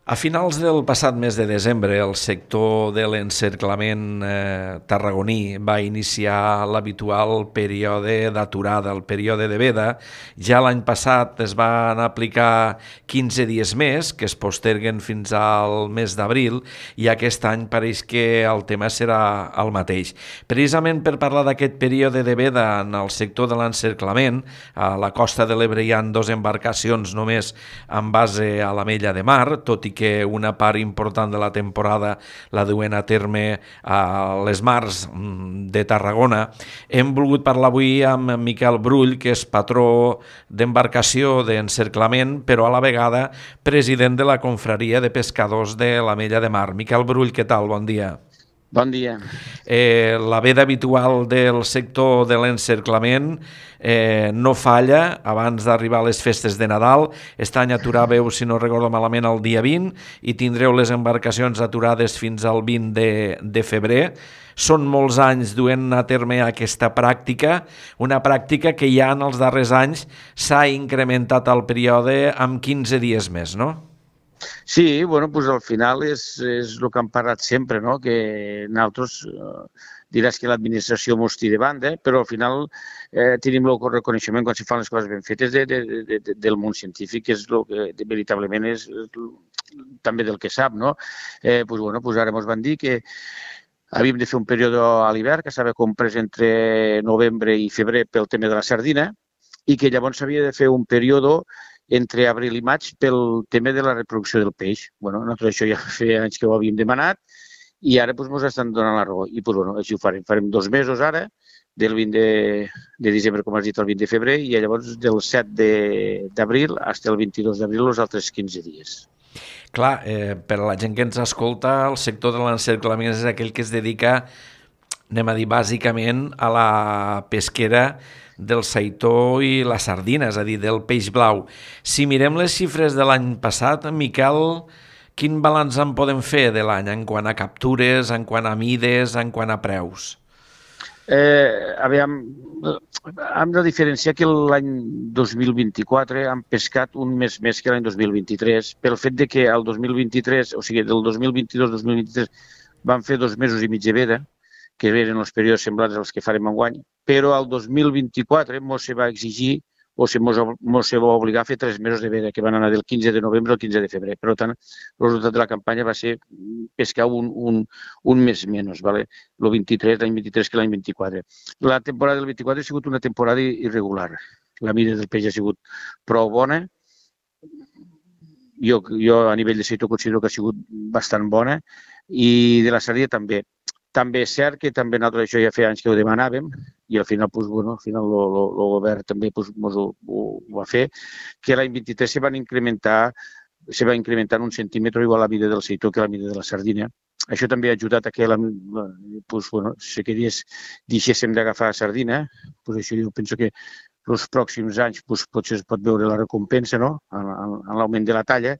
A finals del passat mes de desembre, el sector de l'encerclament tarragoní va iniciar l'habitual període d'aturada, el període de veda. Ja l'any passat es van aplicar 15 dies més, que es posterguen fins al mes d'abril, i aquest any pareix que el tema serà el mateix. Precisament per parlar d'aquest període de veda en el sector de l'encerclament, a la costa de l'Ebre hi ha dos embarcacions només en base a l'Amella de Mar, tot i que una part important de la temporada la duen a terme a les mars de Tarragona. Hem volgut parlar avui amb Miquel Brull, que és patró d'embarcació d'encerclament, però a la vegada president de la confraria de pescadors de l'Amella de Mar. Miquel Brull, què tal? Bon dia. Bon dia. La veda habitual del sector de l'encerclament no falla abans d'arribar a les festes de Nadal. Aquest any aturàveu, si no recordo malament, el dia 20 i tindreu les embarcacions aturades fins al 20 de febrer. Són molts anys duent a terme aquesta pràctica, una pràctica que ja en els darrers anys s'ha incrementat el període amb 15 dies més, no? Sí, bueno, pues al final és el que hem parlat sempre, no? Que nosaltres diràs que l'administració mos tira de banda, però al final tenim el reconeixement quan se fan les coses ben fetes del món científic, que és el que veritablement és també del que sap, no? Pues, bueno, pues ara ens van dir que havíem de fer un període a l'hivern que estava comprès entre novembre i febrer pel tema de la sardina i que llavors s'havia de fer un període entre abril i maig pel tema de la reproducció del peix. Bueno, nosaltres això ja feia anys que ho havíem demanat i ara doncs, ens estan donant la raó. I doncs, bueno, així ho farem. Farem 2 mesos ara, del 20 de desembre, com has dit, al 20 de febrer, i llavors del 7 d'abril fins al 22 d'abril, els altres 15 dies. Clar, per a la gent que ens escolta, el sector de l'encerclament és aquell que es dedica, anem a dir, bàsicament a la pesquera del saitó i la sardina, és a dir, del peix blau. Si mirem les xifres de l'any passat, Miquel, quin balanç en podem fer de l'any en quant a captures, en quant a mides, en quant a preus? Aviam, hem de diferenciar que l'any 2024 hem pescat un mes més que l'any 2023 pel fet de que el 2023, o sigui, del 2022-2023 vam fer 2 mesos i mig de veda, que eren els períodes semblants als que farem enguany, però el 2024 ens se va exigir o se va obligar a fer 3 mesos de veda, que van anar del 15 de novembre al 15 de febrer. Per tant, el resultat de la campanya va ser pescar un mes menys, ¿vale? L'any 23 que l'any 24. La temporada del 24 ha sigut una temporada irregular. La mida del peix ha sigut prou bona. Jo a nivell de sector considero que ha sigut bastant bona i de la sardina també. També és cert que també nosaltres això ja feia anys que ho demanàvem i al final, doncs, bueno, al final el govern també doncs, ho va fer, que l'any 23 se va incrementar en 1 centímetre igual la mida del seitó que la mida de la sardina. Això també ha ajudat a que doncs, bueno, si queries deixéssim d'agafar sardina, doncs això jo penso que els pròxims anys doncs, potser es pot veure la recompensa, no?, en l'augment de la talla.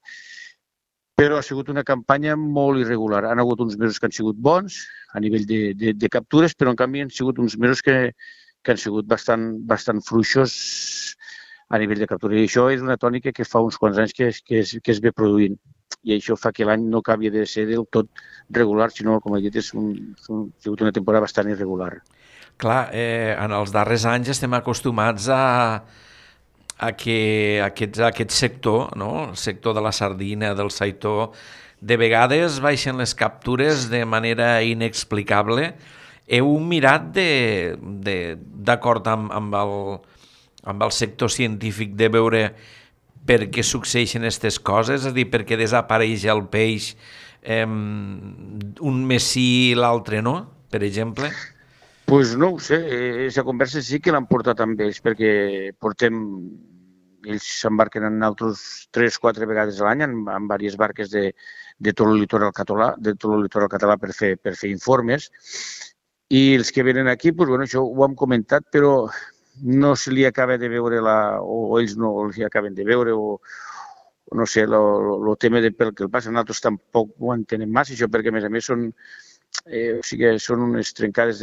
Però ha sigut una campanya molt irregular. Han hagut uns mesos que han sigut bons a nivell de captures, però en canvi han sigut uns mesos que han sigut bastant fluixos a nivell de captura. I això és una tònica que fa uns quants anys que es ve produint. I això fa que l'any no acabi de ser del tot regular, sinó, com he dit, ha sigut una temporada bastant irregular. Clar, en els darrers anys estem acostumats a que aquest sector, no? El sector de la sardina, del saitó, de vegades baixen les captures de manera inexplicable. Heu mirat d'acord amb el sector científic de veure per què succeeixen aquestes coses? És a dir, per què desapareix el peix un mes sí i l'altre no, per exemple? Doncs no ho sé, aquesta conversa sí que l'han portat amb ells, perquè ells s'embarquen en altres 3-4 vegades a l'any en diverses barques de tot el litoral català per fer informes. I els que venen aquí, doncs, bueno, això ho hem comentat, però no se li acaba de veure o ells no els acaben de veure, o no sé, el tema pel que el passa. Nosaltres tampoc ho entenem massa, això, perquè a més són unes trencades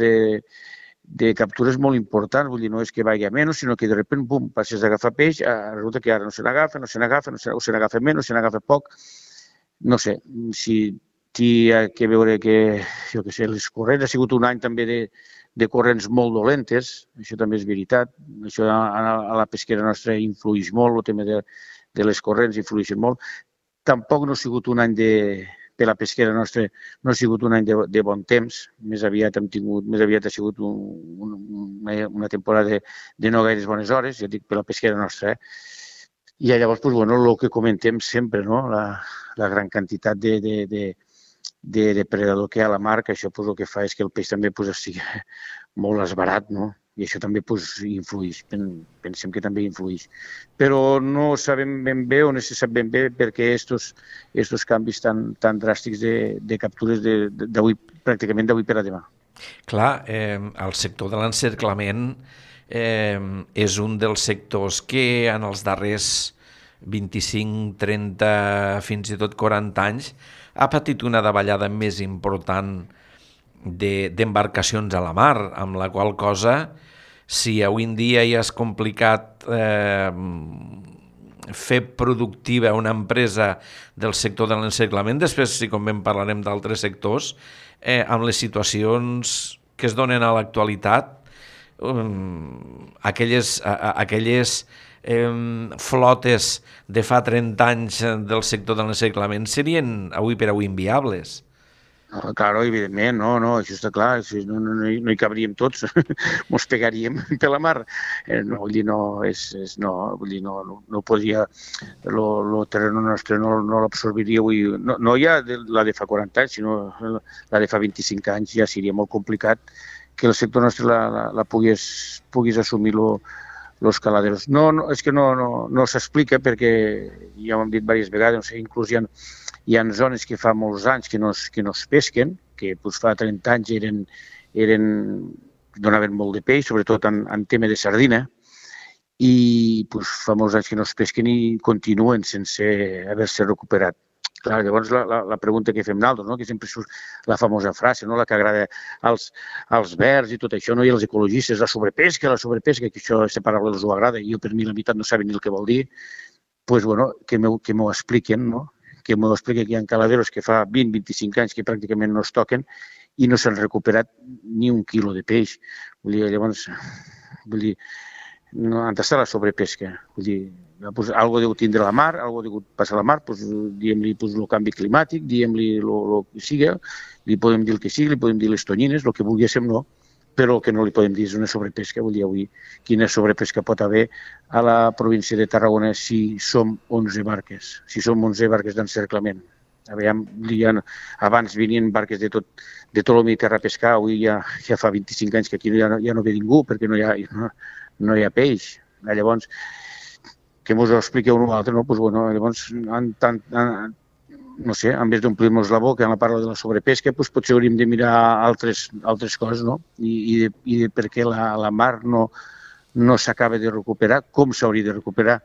de captures molt importants, vull dir, no és que vagi a menys, sinó que de sobte, bum, passes d'agafar peix, resulta que ara no se n'agafa, o se n'agafa menys, o se n'agafa poc. no sé, si hi ha que veure que, jo què sé, les corrents ha sigut un any també de corrents molt dolentes, això també és veritat, això a la pesquera nostra influeix molt, el tema de les corrents influeix molt. Tampoc no ha sigut un any per la pesquera nostra, no ha sigut un any de bon temps, més aviat ha sigut una temporada de no gaires bones hores, ja dic, per la pesquera nostra, I llavors, doncs, bueno, el que comentem sempre, no? La gran quantitat de depredador que hi ha a la mar, que això pues, el que fa és que el peix també pues, estigui molt esbarat, no? I això també pues, influeix, pensem que també influeix. Però no sabem ben bé o no se sap ben bé per què estos canvis tan dràstics de captures d'avui, pràcticament d'avui per a demà. Clar, el sector de l'encerclament és un dels sectors que en els darrers 25, 30, fins i tot 40 anys ha patit una davallada més important d'embarcacions a la mar, amb la qual cosa, si avui en dia ja és complicat fer productiva una empresa del sector de l'encerclament, després, si convé, parlarem d'altres sectors, amb les situacions que es donen a l'actualitat, aquelles flotes de fa 30 anys del sector de l'encerclament serien avui per avui inviables. Claro, evidentment, no, això està clar, no hi cabríem tots, mos pegaríem per la mar. No, vull dir, no podria, el terreno nostre no l'absorbiria avui, no ja la de fa 40 anys, sinó la de fa 25 anys, ja seria molt complicat que el sector nostre la pogués assumir els caladeros. No, és que no s'explica perquè, ja ho hem dit diverses vegades, inclús hi ha zones que fa molts anys que no es pesquen, que doncs, fa 30 anys donaven molt de peix, sobretot en tema de sardina, i doncs, fa molts anys que no es pesquen i continuen sense haver-se recuperat. Clar, llavors la pregunta que fem nosaltres, no? Que sempre surt la famosa frase, no? La que agrada als verds i tot això, no? I als ecologistes, la sobrepesca, que això, aquesta paraula els ho agrada, i jo per mi la veritat no saben ni el que vol dir, doncs, bueno, que m'ho expliquen, no? Que m'ho expliquen que hi ha caladeros que fa 20-25 anys que pràcticament no es toquen i no s'han recuperat ni un quilo de peix. Llavors, no, han d'estar la sobrepesca. Vull dir, pues, algo deu tindre la mar, algo deu passar a la mar, pues, diguem-li pues, el canvi climàtic, diguem-li el que sigui, li podem dir el que sigui, li podem dir les tonyines, el que volguéssim no, però el que no li podem dir és una sobrepesca. Vull dir, avui, quina sobrepesca pot haver a la província de Tarragona si som 11 barques, d'encerclament. Abans venien barques de tot el Mediterrani a pescar, avui ja fa 25 anys que aquí ja no ve ningú perquè no hi ha peix. Llavors, que ens ho expliqueu un altre, no? Pues, bueno, llavors, no sé, en vez d'omplir-nos la boca en la parla de la sobrepesca, pues, potser hauríem de mirar altres coses, no? I de per què la mar no s'acaba de recuperar, com s'hauria de recuperar.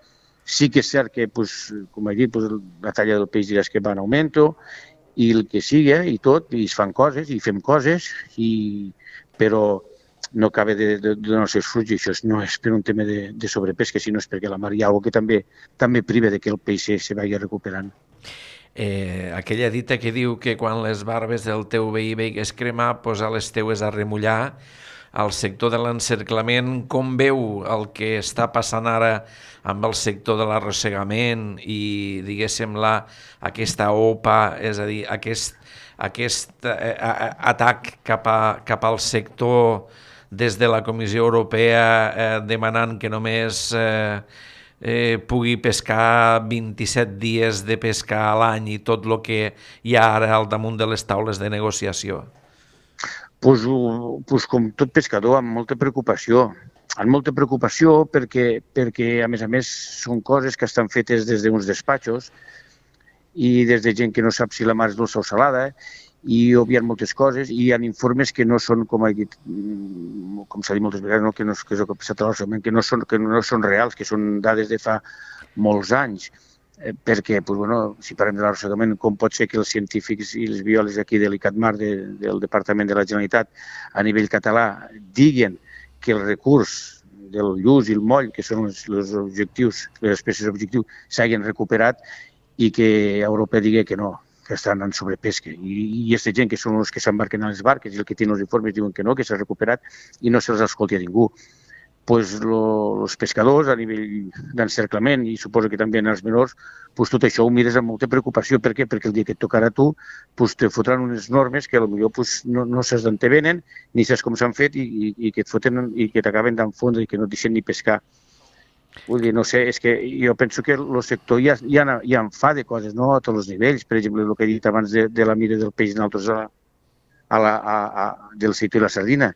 Sí que és cert que, pues, com he dit, pues, la talla del peix diràs que va en augmento, i el que sigui, i tot, i es fan coses, i fem coses, però no acaba de donar els seus fruits, i això no és per un tema de sobrepesca, sinó és perquè la mar hi ha alguna cosa que també priva de que el peix se vagi recuperant. Aquella dita que diu que quan les barbes del teu veí veigues cremar, posa les teues a remullar. Al sector de l'encerclament, com veu el que està passant ara amb el sector de l'arrossegament i, diguéssim, aquesta OPA, és a dir, aquest atac cap al sector des de la Comissió Europea demanant que només pugui pescar 27 dies de pescar a l'any i tot el que hi ha ara al damunt de les taules de negociació? Pues com tot pescador, amb molta preocupació. Amb molta preocupació perquè, a més, són coses que estan fetes des d'uns despatxos i des de gent que no sap si la mar és dolça o salada, i obviant moltes coses, i hi ha informes que no són, com he dit, com s'ha dit moltes vegades, no? que és el que ha passat a l'arrossegament, que no són reals, que són dades de fa molts anys. Perquè, pues, bueno, si parlem de l'arrossegament, com pot ser que els científics i els biòlegs aquí de l'ICATMAR, del Departament de la Generalitat, a nivell català, diguen que el recurs del lluç i el moll, que són els objectius, les espècies objectius, s'hagin recuperat i que Europa digui que no, que estan en sobrepesca. I aquesta gent que són els que s'embarquen a les barques i el que tenen els informes diuen que no, que s'ha recuperat i no se'ls escolti a ningú. Pues els pescadors a nivell d'encerclament i suposo que també els menors, pues tot això ho mires amb molta preocupació. Per què? Perquè el dia que et tocarà a tu pues te fotran unes normes que potser pues, no saps d'on te venen, ni saps com s'han fet i que et foten i que t'acaben d'enfondre i que no et deixen ni pescar. Vull dir, no sé, és que jo penso que el sector ja en fa de coses, no? A tots els nivells. Per exemple, el que he dit abans de la mira del peix nosaltres del sector i la sardina.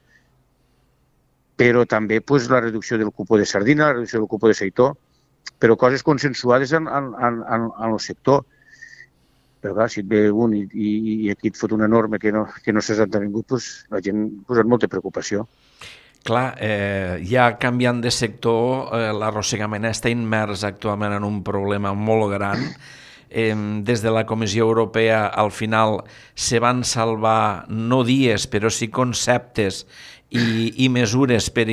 Però també pues, la reducció del cupó de sardina, la reducció del cupó de seitó, però coses consensuades en el sector. Però clar, si et ve un i aquí et fot una norma que no s'ha de ningú, pues, la gent posa molta preocupació. Clar, ja canviant de sector, l'arrossegament està immers actualment en un problema molt gran. Des de la Comissió Europea al final se van salvar no dies però sí conceptes i mesures per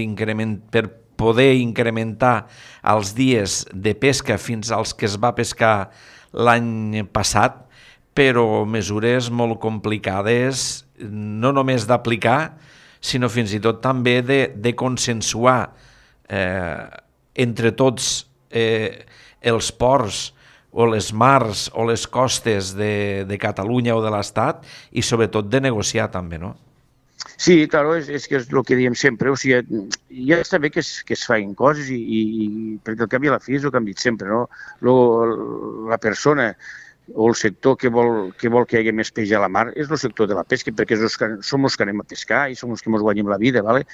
poder incrementar els dies de pesca fins als que es va pescar l'any passat, però mesures molt complicades no només d'aplicar sinó fins i tot també de consensuar entre tots els ports o les mars o les costes de Catalunya o de l'Estat i sobretot de negociar també, no? Sí, claro, és que és el que diem sempre, o sigui, ja està bé que es facin coses perquè el canvi a la fi és el que hem dit sempre, no? La persona o el sector que vol que hi hagi més peix a la mar és el sector de la pesca, perquè som els que anem a pescar i som els que ens guanyem la vida, ¿vale?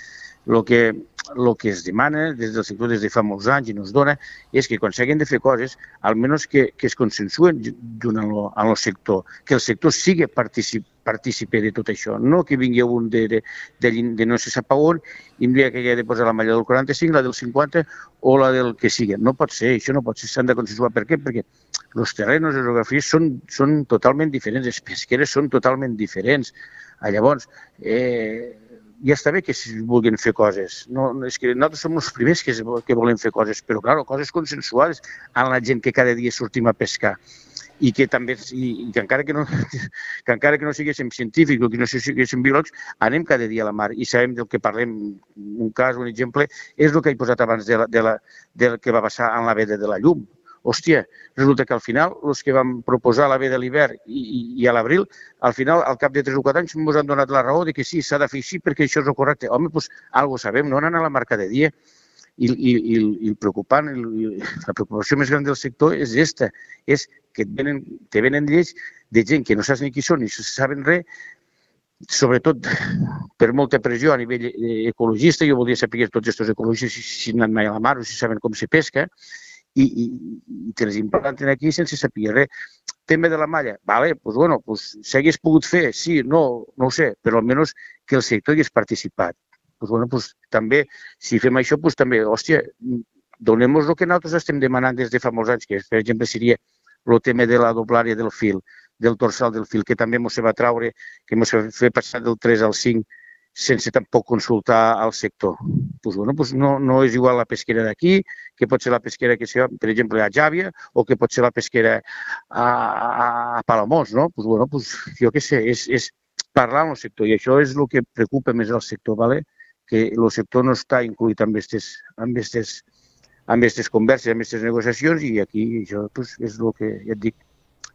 El que es demana des del sector des de fa molts anys i ens dona és que quan s'hagin de fer coses, almenys que es consensuen junt amb el sector, que el sector sigui partícipe de tot això, no que vingui un de no se sap on i em diria que hi ha de posar la malla del 45, la del 50 o la del que sigui. No pot ser, això no pot ser, s'han de consensuar. Per què? Perquè els terrenys, les geografies són totalment diferents, les pesqueres són totalment diferents. Llavors, ja està bé que es vulguin fer coses. No, és que nosaltres som els primers que volem fer coses, però, clar, coses consensuades amb la gent que cada dia sortim a pescar i que també, que encara que no siguéssim científics o que no siguéssim biòlegs, anem cada dia a la mar i sabem del que parlem. Un cas, un exemple, és el que he posat abans del que va passar en la veda de la llum. Hòstia, resulta que al final, els que vam proposar la veda a l'hivern i a l'abril, al final, al cap de 3 o 4 anys, ens han donat la raó de que sí, s'ha de fer així perquè això és el correcte. Home, doncs, alguna cosa sabem, no anar a la mar cada dia. I el preocupant, la preocupació més gran del sector és aquesta, és que te venen lleis de gent que no saps ni qui són ni saben res, sobretot per molta pressió a nivell ecologista. Jo voldria saber tots aquests ecologistes si han anat mai a la mar o si saben com se pesca, i te les implanten aquí sense saber res. Tema de la malla, vale, doncs bueno, s'hagués pogut fer, sí, no ho sé, però almenys que el sector hi hagués participat. Doncs bueno, també, si fem això, també, hòstia, donem-nos el que nosaltres estem demanant des de fa molts anys, que per exemple seria el tema de la doblària del fil, del dorsal del fil, que també ens va traure, que ens va fer passar del 3 al 5 sense tampoc consultar al sector. Doncs bueno, no és igual la pesquera d'aquí, que pot ser la pesquera que sigui, per exemple, a Jàvia, o que pot ser la pesquera a Palamós, no? Doncs bueno, jo què sé, és parlar amb el sector, i això és el que preocupa més al sector, ¿vale? Que el sector no està incluït en aquestes converses, en aquestes negociacions, i aquí això és el que, ja et dic,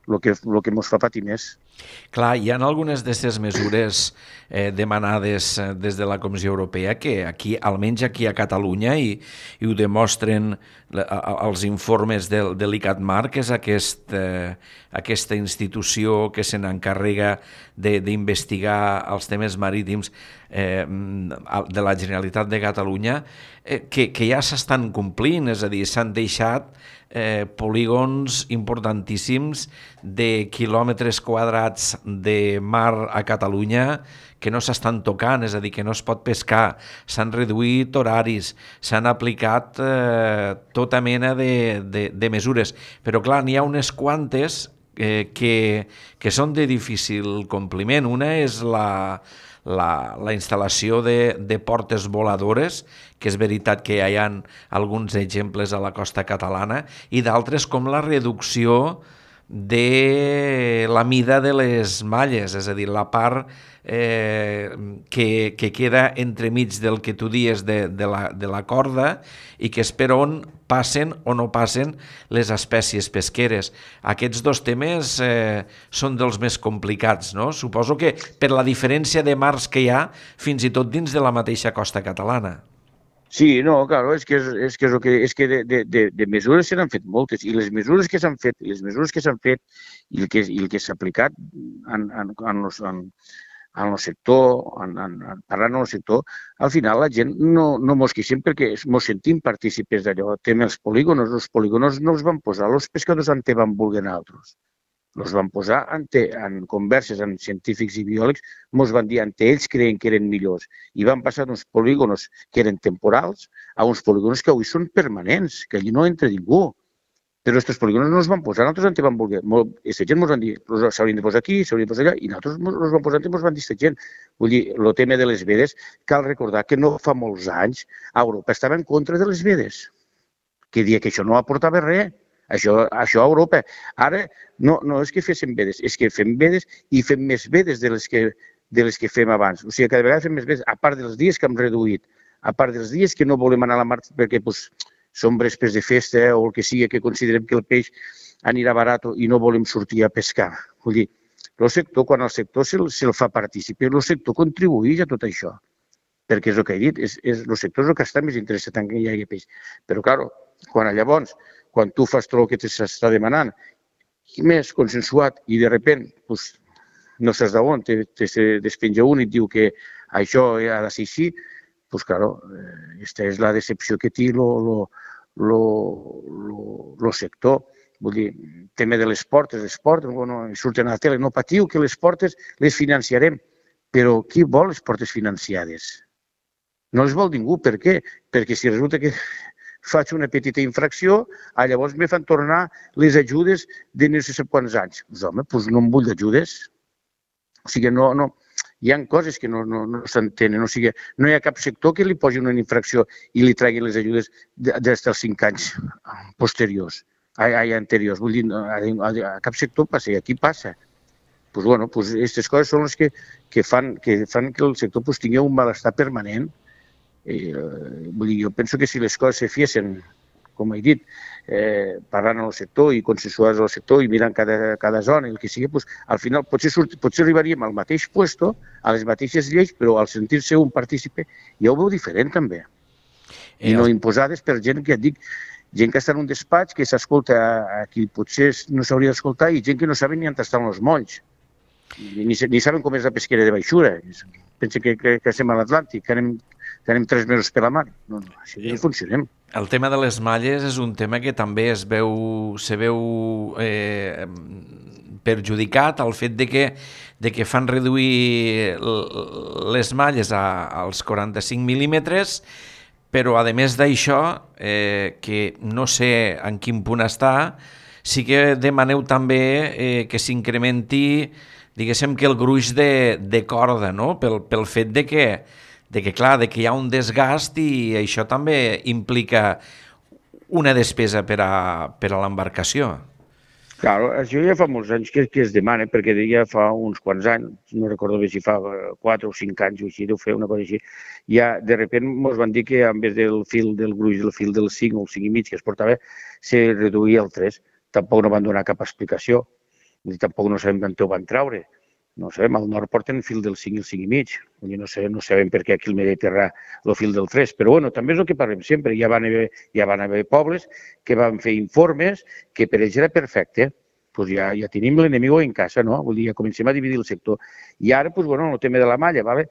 el que ens fa patir més. Clar, hi ha algunes d'aquestes mesures demanades des de la Comissió Europea que aquí, almenys aquí a Catalunya, i ho demostren els informes de l'ICATMAR, que és aquesta institució que se n'encarrega d'investigar els temes marítims de la Generalitat de Catalunya, que ja s'estan complint, és a dir, s'han deixat polígons importantíssims de quilòmetres quadrats de mar a Catalunya que no s'estan tocant, és a dir, que no es pot pescar, s'han reduït horaris, s'han aplicat tota mena de mesures, però clar, n'hi ha unes quantes que són de difícil compliment. Una és la instal·lació de portes voladores, que és veritat que hi ha alguns exemples a la costa catalana, i d'altres com la reducció de la mida de les malles, és a dir, la part que queda entremig del que tu dies de la corda i que és per on passen o no passen les espècies pesqueres. Aquests dos temes són dels més complicats, no? Suposo que per la diferència de mars que hi ha fins i tot dins de la mateixa costa catalana. Sí, no, claro, és que de mesures se n'han fet moltes, i les mesures que s'han fet, i el que s'ha aplicat en el sector, parlant en el sector, al final la gent no mos queixem perquè mos sentim partícipes d'allò. Tema els polígonos no els van posar els pescadors on van voler altres. Els van posar en converses amb científics i biòlegs, ens van dir que ells creien que eren millors i van passar d'uns polígonos que eren temporals a uns polígonos que avui són permanents, que allí no entra ningú. Però aquests polígonos no els van posar, nosaltres on van voler. Aquesta gent ens van dir, s'haurien de posar aquí, s'haurien de posar allà, i nosaltres els van posar i ens van dir aquesta gent. Vull dir, el tema de les vedes, cal recordar que no fa molts anys a Europa estava en contra de les vedes, que dia que això no aportava res. Això a Europa. Ara no és que féssim vedes, és que fem vedes i fem més vedes de les que fem abans. O sigui, cada vegada fem més vedes, a part dels dies que hem reduït, a part dels dies que no volem anar a la mar perquè són vespres de festa o el que sigui, que considerem que el peix anirà barat i no volem sortir a pescar. Vull dir, el sector, quan el sector se'l fa participar, el sector contribueix a tot això. Perquè és el que he dit, el sector és el que està més interessat en que hi hagi peix. Però, clar, quan tu fas tot el que s'està demanant, i més consensuat, i de sobte no saps d'on, te despenja un i et diu que això ha de ser així, doncs, clar, aquesta és la decepció que té el sector. Vull dir, tema de les portes, surten a la tele, no patiu que les portes les financiarem, però qui vol les portes financiades? No les vol ningú. Per què? Perquè si resulta que faig una petita infracció, llavors me fan tornar les ajudes de no sé quants anys. Doncs home, no em vull ajudes. O sigui, hi ha coses que no s'entenen. O sigui, no hi ha cap sector que li posi una infracció i li tregui les ajudes des dels 5 anys posteriors, anteriors. Vull dir, a cap sector passa, i aquí passa. Aquestes coses són les que fan que el sector tingui un malestar permanent. Vull dir, jo penso que si les coses se fiessin, com he dit, parlant amb el sector i consensuades al sector i mirant cada zona i el que sigui, al final potser arribaríem al mateix puesto, a les mateixes lleis, però al sentir-se un partícipe ja ho veu diferent també. I no imposades per gent que et dic, gent que està en un despatx, que s'escolta a qui potser no s'hauria d'escoltar, i gent que no saben ni on estan els molls. Ni saben com és la pesquera de baixura. Pensen que estem a l'Atlàntic, que anem 3 mesos per la mar. No, així no funcionem. El tema de les malles és un tema que també se veu perjudicat al fet de que fan reduir les malles als 45 mil·límetres, però a més d'això, que no sé en quin punt està, sí que demaneu també que s'incrementi, diguéssim, que el gruix de corda, no? Pel fet de que hi ha un desgast i això també implica una despesa per a l'embarcació. Clar, això ja fa molts anys que es demana, perquè ja fa uns quants anys, no recordo bé si fa 4 o 5 anys o així, deu fer una cosa així, ja de sobte ens van dir que en vez del fil del gruix, del fil del 5 o el 5,5 que es portava, se reduïa al 3. Tampoc no van donar cap explicació, tampoc no sabem d'on ho van treure. No sabem, al nord porten fil del 5 i el 5,5. No sabem per què aquí al Mediterrani el fil del 3. Però bueno, també és el que parlem sempre. Ja van haver pobles que van fer informes que per ells era perfecte. Doncs ja tenim l'enemigo en casa, no? Vull dir, ja comencem a dividir el sector. I ara, el tema de la malla,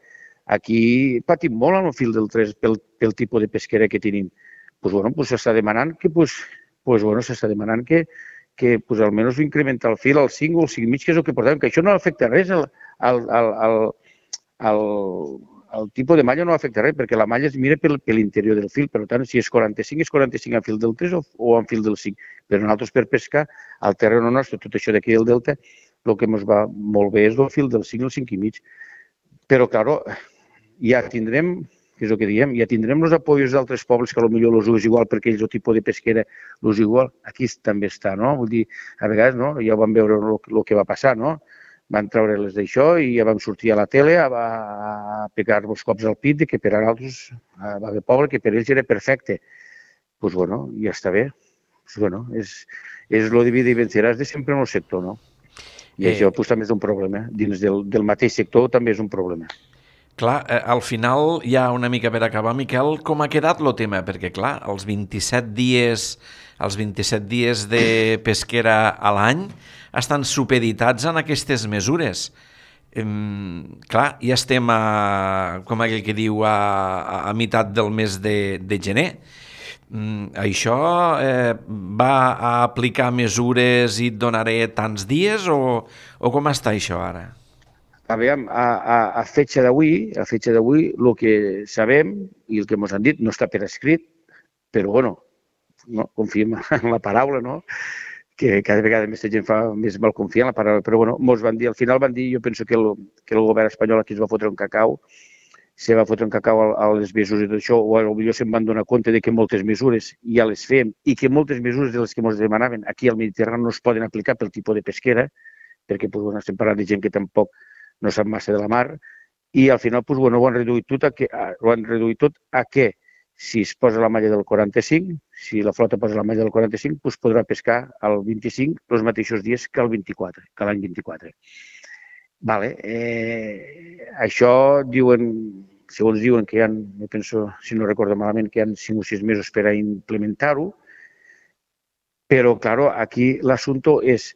aquí patim molt amb el fil del 3 pel tipus de pesquera que tenim. S'està demanant que almenys incrementar el fil al 5 o al 5,5, que és el que portàvem, que això no afecta res, el tipus de malla no afecta res, perquè la malla es mira per l'interior del fil, per tant, si és 45, és 45 en fil del 3 o en fil del 5. Però nosaltres per pescar, al terreny nostre, tot això d'aquí del delta, el que ens va molt bé és el fil del 5 o el 5,5. Però, clar, ja tindrem que és el que diem, ja tindrem els apoyos d'altres pobles que potser els és igual perquè ells el tipus de pesquera els igual, aquí també està, no? Vull dir, a vegades, no? Ja ho vam veure el que va passar, no? Van treure les d'això i ja vam sortir a la tele a pegar els cops al pit que per a altres va haver poble que per ells era perfecte. Doncs, bueno, ja està bé. Pues, bueno, és lo divide i venceràs de sempre en el sector, no? I això pues, també és un problema. Dins del mateix sector també és un problema. Clar, al final, ja una mica per acabar, Miquel, com ha quedat el tema? Perquè, clar, els 27 dies de pesquera a l'any estan supeditats en aquestes mesures. Clar, ja estem, com aquell que diu, a meitat del mes de gener. Això va a aplicar mesures i et donaré tants dies o com està això ara? Aviam, a fetge d'avui, el que sabem i el que ens han dit no està per escrit, però bueno, no, confiem en la paraula, no? Que cada vegada més gent fa més mal confiar en la paraula, però bueno, ens van dir, al final van dir, jo penso que el govern espanyol aquí es va fotre un cacau, se va fotre un cacau a les mesures i tot això, o potser se'n van donar compte de que moltes mesures ja les fem i que moltes mesures de les que ens demanaven aquí al Mediterrani no es poden aplicar pel tipus de pesquera, perquè pues, bueno, estem parlant de gent que tampoc no sap massa de la mar, i al final pues, bueno, ho han reduït tot a que si es posa la malla del 45, si la flota posa la malla del 45, pues podrà pescar al 25 els mateixos dies que l'any 24. Vale. Això diuen, segons diuen que hi ha, jo penso, si no recordo malament, que hi ha 5 o 6 mesos per a implementar-ho, però, claro, aquí l'assumpte és,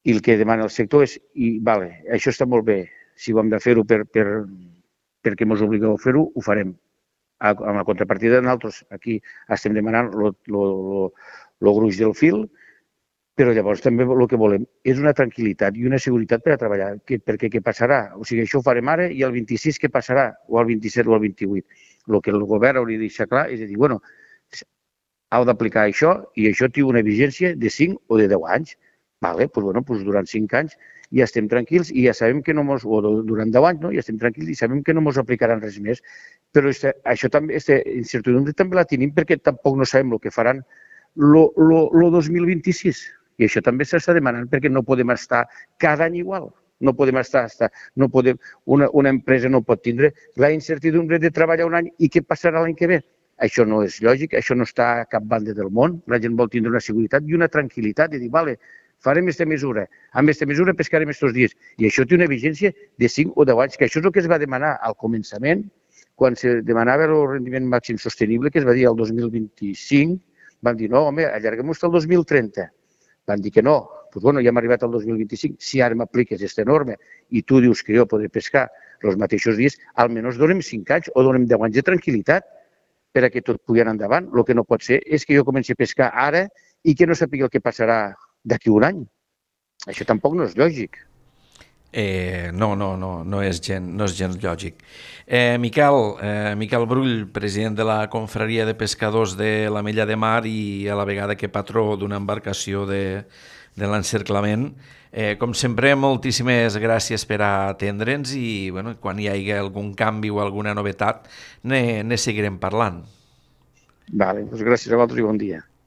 i el que demana el sector és, vale, això està molt bé, si ho hem de fer-ho perquè ens obligueu a fer-ho, ho farem. Amb la contrapartida de nosaltres, aquí estem demanant el gruix del fil, però llavors també el que volem és una tranquil·litat i una seguretat per a treballar, perquè què passarà? O sigui, això ho farem ara i el 26 què passarà? O el 27 o el 28? El que el govern hauria de deixar clar és dir, bueno, heu d'aplicar això i això té una vigència de 5 o de 10 anys. Vale, doncs, bueno, doncs durant 5 anys ja estem tranquils i ja sabem que no ens, o durant 10 anys, no? Ja estem tranquils i sabem que no ens aplicaran res més. Però això també, aquesta incertidumbre també la tenim perquè tampoc no sabem el que faran el 2026. I això també s'està demanant perquè no podem estar cada any igual. No podem no podem, una empresa no pot tindre la incertidumbre de treballar un any i què passarà l'any que ve. Això no és lògic, això no està a cap banda del món. La gent vol tindre una seguretat i una tranquil·litat de dir, vale, farem aquesta mesura, amb aquesta mesura pescarem aquests dies. I això té una vigència de 5 o 10 anys, que això és el que es va demanar al començament, quan se demanava el rendiment màxim sostenible, que es va dir el 2025, van dir, no, home, allarguem-ho fins al 2030. Van dir que no, doncs bueno, ja hem arribat al 2025, si ara m'apliques aquesta norma i tu dius que jo podré pescar els mateixos dies, almenys donem 5 anys o donem 10 anys de tranquil·litat per a que tot pugui anar endavant. El que no pot ser és que jo comenci a pescar ara i que no sàpiga el que passarà d'aquí un any. Això tampoc no és lògic. No és gens lògic. Miquel Brull, president de la Confraria de Pescadors de l'Ametlla de Mar i a la vegada que patró d'una embarcació de l'encerclament. Com sempre, moltíssimes gràcies per atendre'ns i bueno, quan hi hagi algun canvi o alguna novetat ne seguirem parlant. Vale, doncs gràcies a vosaltres i bon dia.